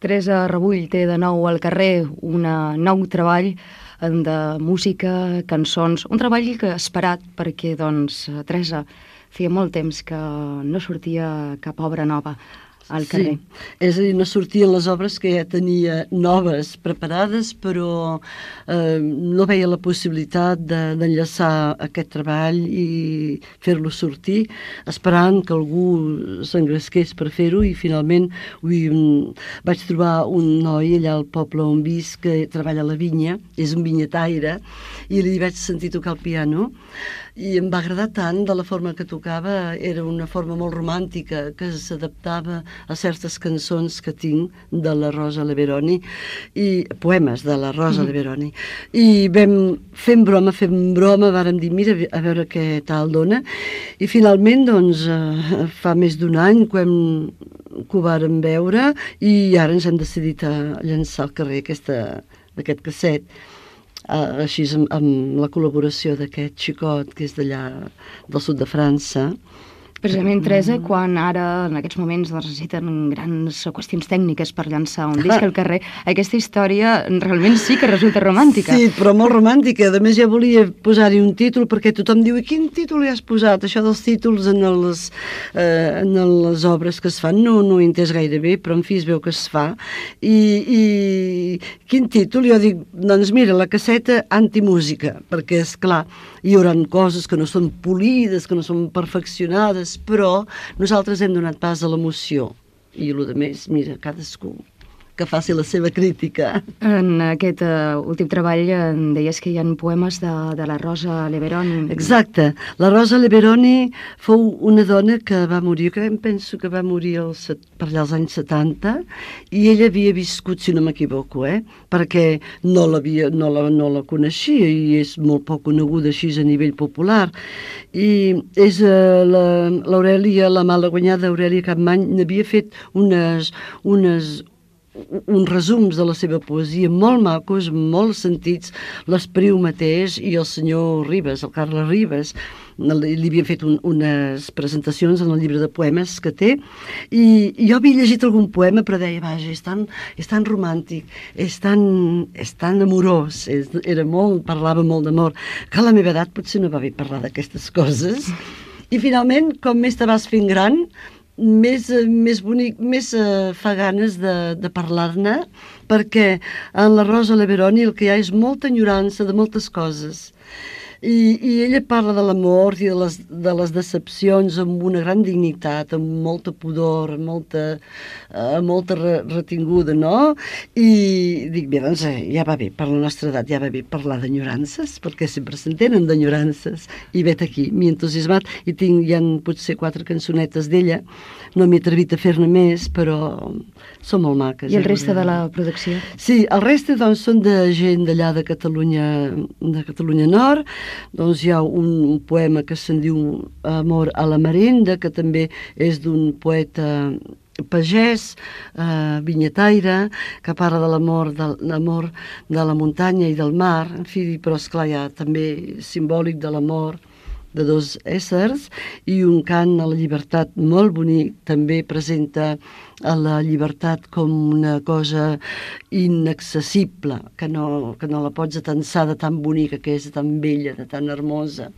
Teresa Rebull té de nou al carrer un nou treball de música, cançons, un treball que esperat perquè, doncs, Teresa, feia molt temps que no sortia cap obra nova al carrer. Sí, és a dir, no sortien les obres que ja tenia noves preparades, però no veia la possibilitat d'enllaçar aquest treball i fer-lo sortir, esperant que algú s'engresqués per fer-ho, i finalment vaig trobar un noi allà al poble on visc que treballa a la vinya, és un vinyataire, i li vaig sentir tocar el piano, i em va agradar tant de la forma que tocava. Era una forma molt romàntica que s'adaptava a certes cançons que tinc de la Rosa Leveroni, i poemes de la Rosa Leveroni, i vam fent broma vàrem dir, mira, a veure què tal dona, i finalment, doncs, fa més d'un any que ho vàrem veure, i ara ens hem decidit a llançar al carrer aquest casset, així amb la col·laboració d'aquest xicot que és d'allà del sud de França. Precisament, Teresa, quan ara, en aquests moments, necessiten grans qüestions tècniques per llançar un disc al carrer, aquesta història realment sí que resulta romàntica. Sí, però molt romàntica. A més, ja volia posar-hi un títol, perquè tothom diu, i quin títol hi has posat? Això dels títols en les obres que es fan no ho he entès gaire bé, però en fi, es veu que es fa. I quin títol? Jo dic, doncs mira, la casseta antimúsica, perquè, és clar, hi haurà coses que no són polides, que no són perfeccionades, però nosaltres hem donat pas a l'emoció, i el que més, mira, cadascú que faci la seva crítica. En aquest últim treball deies que hi ha poemes de la Rosa Leveroni. Exacte. La Rosa Leveroni fou una dona que va morir, que em penso que va morir per allà als anys 70, i ella havia viscut, si no m'equivoco, perquè no la coneixia, i és molt poc coneguda així a nivell popular. I és l'Aurèlia, la malaguanyada Aurèlia Capmany, n'havia fet uns resums de la seva poesia molt macos, molt sentits. L'Espriu mateix i el senyor Ribes, el Carles Ribes, li havien fet unes presentacions en el llibre de poemes que té, i jo havia llegit algun poema, però deia, vaja, és tan romàntic, és tan amorós, parlava molt d'amor, que a la meva edat potser no va bé parlar d'aquestes coses. I finalment, com més te vas fent gran, més bonic, més fa ganes de parlar-ne, perquè en la Rosa Leveroni el que hi ha és molta enyorança de moltes coses. I ella parla de l'amor i de les decepcions amb una gran dignitat, amb molta pudor, amb molta retinguda, no? I dic, bé, doncs ja va bé, per la nostra edat ja va bé parlar d'enyorances, perquè sempre s'entenen d'enyorances, i vet aquí, m'he entusiasmat, i hi ha potser 4 cançonetes d'ella, no m'he atrevit a fer-ne més, però són molt maques. I el reste de la producció? Sí, el reste doncs són de gent d'allà de Catalunya Nord. Doncs hi ha un poema que se'n diu Amor a la merenda, que també és d'un poeta pagès, vinyataire, que parla de l'amor de la muntanya i del mar, en fi, però esclar, hi ha també simbòlic de l'amor de 2 éssers, i un cant a la llibertat molt bonic. També presenta a la llibertat com una cosa inaccessible, que no la pots atensar de tan bonica que és, de tan bella, de tan hermosa.